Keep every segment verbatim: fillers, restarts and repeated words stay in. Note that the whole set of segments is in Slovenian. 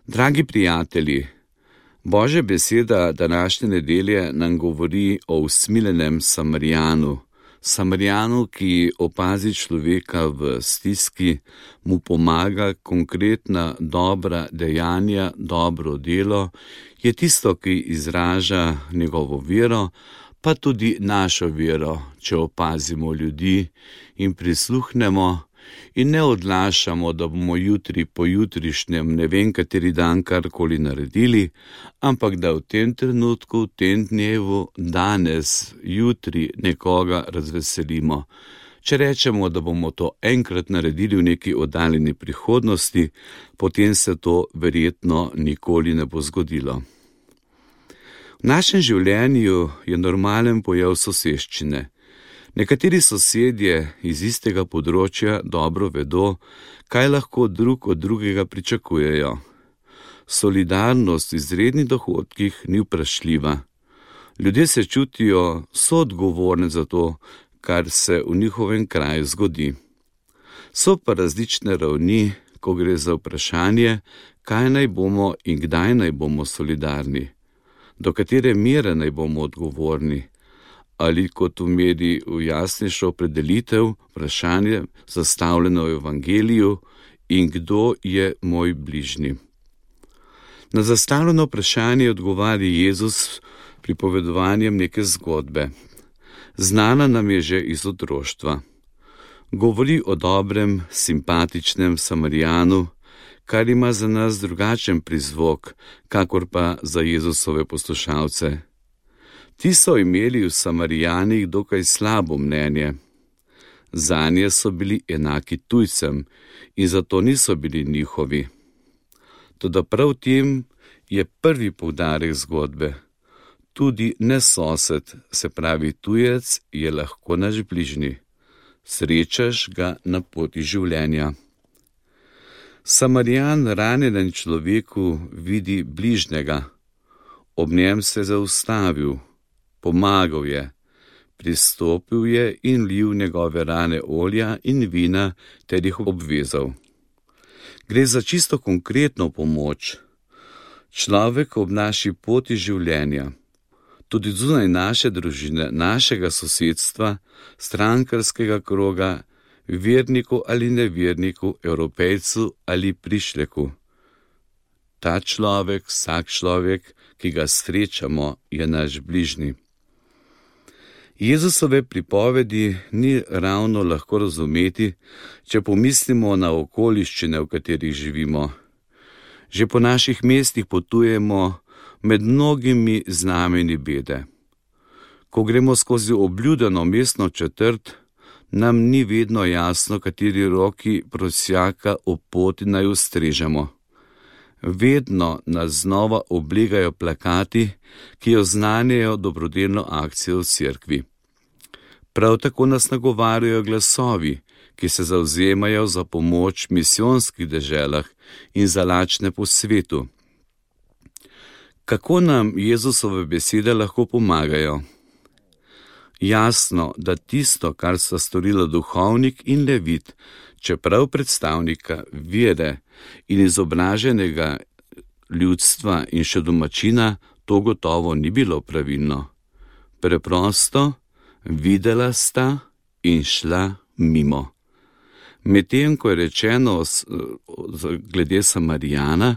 Dragi prijatelji, Božja beseda današnje nedelje nam govori o usmiljenem Samarijanu, Samarijanu, ki opazi človeka v stiski, mu pomaga, konkretna dobra dejanja, dobro delo, je tisto, ki izraža njegovo vero, pa tudi našo vero, če opazimo ljudi in prisluhnemo in ne odlašamo, da bomo jutri po jutrišnjem ne vem kateri dan karkoli naredili, ampak da v tem trenutku, v tem dnevu, danes, jutri nekoga razveselimo. Če rečemo, da bomo to enkrat naredili v neki oddaljeni prihodnosti, potem se to verjetno nikoli ne bo zgodilo. V našem življenju je normalen pojav soseščine. Nekateri sosedje iz istega področja dobro vedo, kaj lahko drug od drugega pričakujejo. Solidarnost v izrednih dohodkih ni vprašljiva. Ljudje se čutijo soodgovorni za to, kar se v njihovem kraju zgodi. So pa različne ravni, ko gre za vprašanje, kaj naj bomo in kdaj naj bomo solidarni, do katere mere naj bomo odgovorni, ali kot v mediji v jasnejšo opredelitev vprašanje zastavljeno v evangeliju in kdo je moj bližnji. Na zastavljeno vprašanje odgovarja Jezus pripovedovanjem neke zgodbe. Znana nam je že iz otroštva. Govori o dobrem, simpatičnem Samarijanu, kar ima za nas drugačen prizvok, kakor pa za Jezusove poslušalce. Ti so imeli v Samarijanih dokaj slabo mnenje. Zanje so bili enaki tujcem in zato niso bili njihovi. Toda prav tem je prvi poudarek zgodbe. Tudi nesosed, se pravi tujec, je lahko naš bližnji. Srečaš ga na poti življenja. Samarijan ranjenem človeku vidi bližnjega. Ob njem se je zaustavil. Pomagal je, pristopil je in lil njegove rane olja in vina ter jih obvezal. Gre za čisto konkretno pomoč. Človek ob naši poti življenja, tudi zunaj naše družine, našega sosedstva, strankarskega kroga, verniku ali neverniku, Evropejcu ali prišleku. Ta človek, vsak človek, ki ga srečamo, je naš bližnji. Jezusove pripovedi ni ravno lahko razumeti, če pomislimo na okoliščine, v katerih živimo. Že po naših mestih potujemo med mnogimi znameni bede. Ko gremo skozi obljudeno mestno četrt, nam ni vedno jasno, kateri roki prosjaka ob poti naj ustrežemo. Vedno nas znova oblegajo plakati, ki oznanjajo dobrodelno akcijo v cerkvi. Prav tako nas nagovarjajo glasovi, ki se zavzemajo za pomoč v misijonskih deželah in za lačne po svetu. Kako nam Jezusove besede lahko pomagajo? Jasno, da tisto, kar sta storila duhovnik in levit, čeprav predstavnika vere in izobraženega ljudstva in še domačina, to gotovo ni bilo pravilno. Preprosto, videla sta in šla mimo. Medtem, ko je rečeno glede Samarijana,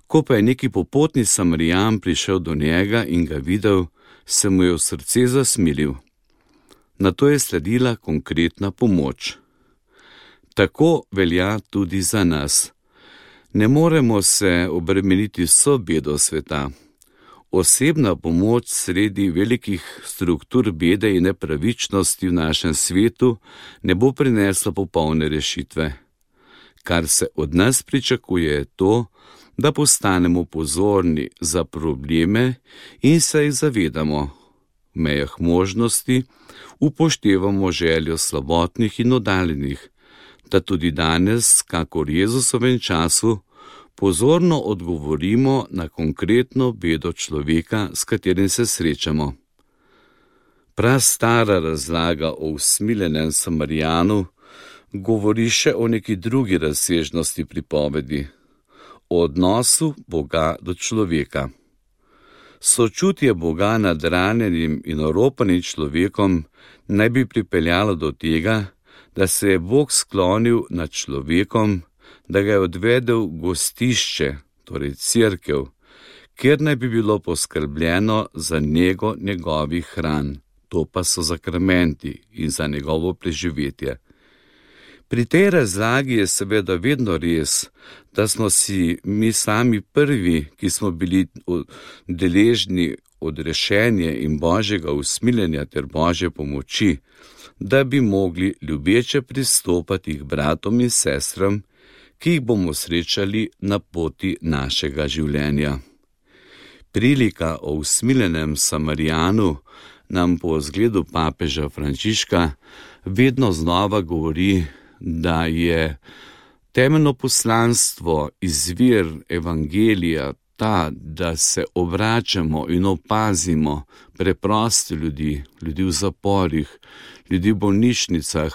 ko pa je neki popotni Samarijan prišel do njega in ga videl, se mu je v srce zasmilil. Nato je sledila konkretna pomoč. Tako velja tudi za nas. Ne moremo se obremeniti vso bedo sveta. Osebna pomoč sredi velikih struktur bede in nepravičnosti v našem svetu ne bo prinesla popolne rešitve. Kar se od nas pričakuje je to, da postanemo pozorni za probleme in se jih zavedamo. V mejah možnosti upoštevamo željo slabotnih in oddaljenih, da tudi danes, kakor v Jezusovem času, pozorno odgovorimo na konkretno bedo človeka, s katerim se srečamo. Prastara razlaga o usmiljenem Samarijanu govori še o neki drugi razsežnosti pripovedi, o odnosu Boga do človeka. Sočutje Boga nad ranjenim in oropanim človekom naj bi pripeljalo do tega, da se je Bog sklonil nad človekom, da ga je odvedel v gostišče, torej cerkev, kjer naj bi bilo poskrbljeno za nego njegovih hran, to pa so sakramenti in za njegovo preživetje. Pri tej razlagi je seveda vedno res, da smo si mi sami prvi, ki smo bili deležni odrešenja in Božjega usmiljenja ter Božje pomoči, da bi mogli ljubeče pristopati k bratom in sestram, ki jih bomo srečali na poti našega življenja. Prilika o usmiljenem Samarijanu nam po zgledu papeža Frančiška vedno znova govori, da je temeljno poslanstvo, izvir evangelija ta, da se obračamo in opazimo preproste ljudi, ljudi v zaporih, ljudi v bolnišnicah,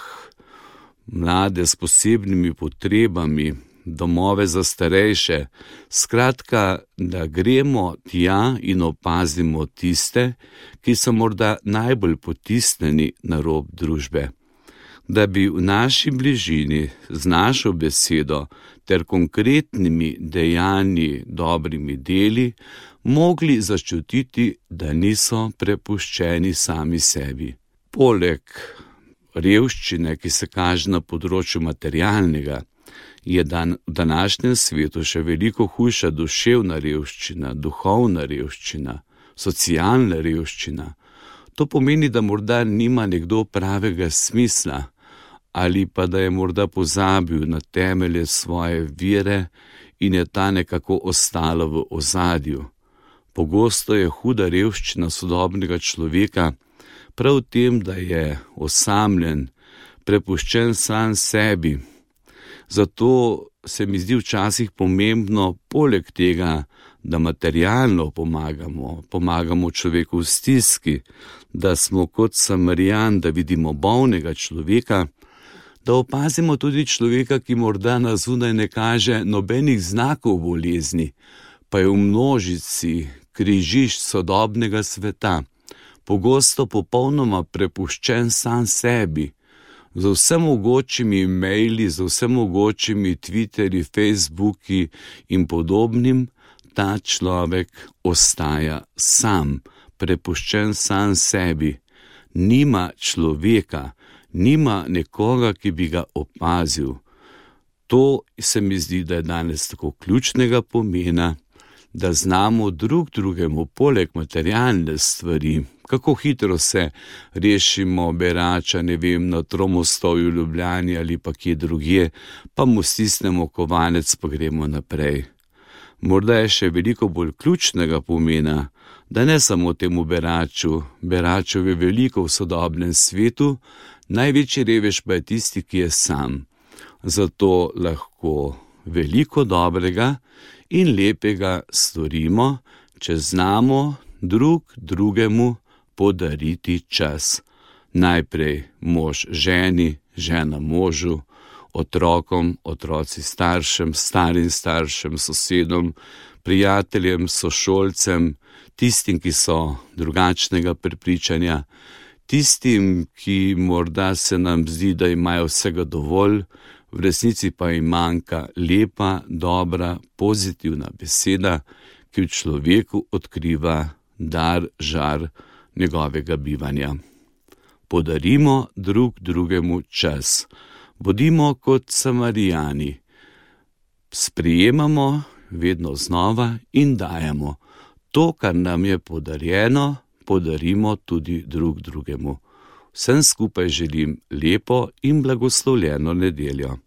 mlade s posebnimi potrebami, domove za starejše, skratka, da gremo tja in opazimo tiste, ki so morda najbolj potisnjeni na rob družbe. Da bi v naši bližini z našo besedo ter konkretnimi dejanji, dobrimi deli, mogli začutiti, da niso prepuščeni sami sebi. Poleg revščine, ki se kaže na področju materialnega, je dan, v današnjem svetu še veliko hujša duševna revščina, duhovna revščina, socialna revščina. To pomeni, da morda nima nekdo pravega smisla, ali pa da je morda pozabil na temelje svoje vere in je ta nekako ostala v ozadju. Pogosto je huda revščina sodobnega človeka prav v tem, da je osamljen, prepuščen sam sebi. Zato se mi zdi včasih pomembno, poleg tega, da materialno pomagamo, pomagamo človeku v stiski, da smo kot Samarijan, da vidimo bolnega človeka, da opazimo tudi človeka, ki morda na zunaj ne kaže nobenih znakov bolezni, pa je v množici križišč sodobnega sveta, pogosto popolnoma prepuščen sam sebi, z vsem mogočimi e-maili, z vsem mogočimi Twitterji, Facebooki in podobnim, ta človek ostaja sam, prepuščen sam sebi, nima človeka, nima nekoga, ki bi ga opazil. To se mi zdi, da je danes tako ključnega pomena, da znamo drug drugemu poleg materialne stvari, kako hitro se rešimo berača, ne vem, na Tromostovju v Ljubljani ali pa kje drugje, pa mu stisnemo kovanec, pa gremo naprej. Morda je še veliko bolj ključnega pomena, da ne samo temu beraču, beračev je veliko v sodobnem svetu, največji revež pa je tisti, ki je sam. Zato lahko veliko dobrega in lepega storimo, če znamo drug drugemu podariti čas. Najprej mož ženi, žena možu, otrokom, otroci staršem, starim staršem, sosedom, prijateljem, sošolcem, tistim, ki so drugačnega prepričanja, tistim, ki morda se nam zdi, da imajo vsega dovolj, v resnici pa jim manjka lepa, dobra, pozitivna beseda, ki v človeku odkriva dar, žar njegovega bivanja. Podarimo drug drugemu čas. Bodimo kot Samarijani. Sprejemamo vedno znova in dajemo. To, kar nam je podarjeno, podarimo tudi drug drugemu. Vsem skupaj želim lepo in blagoslovljeno nedeljo.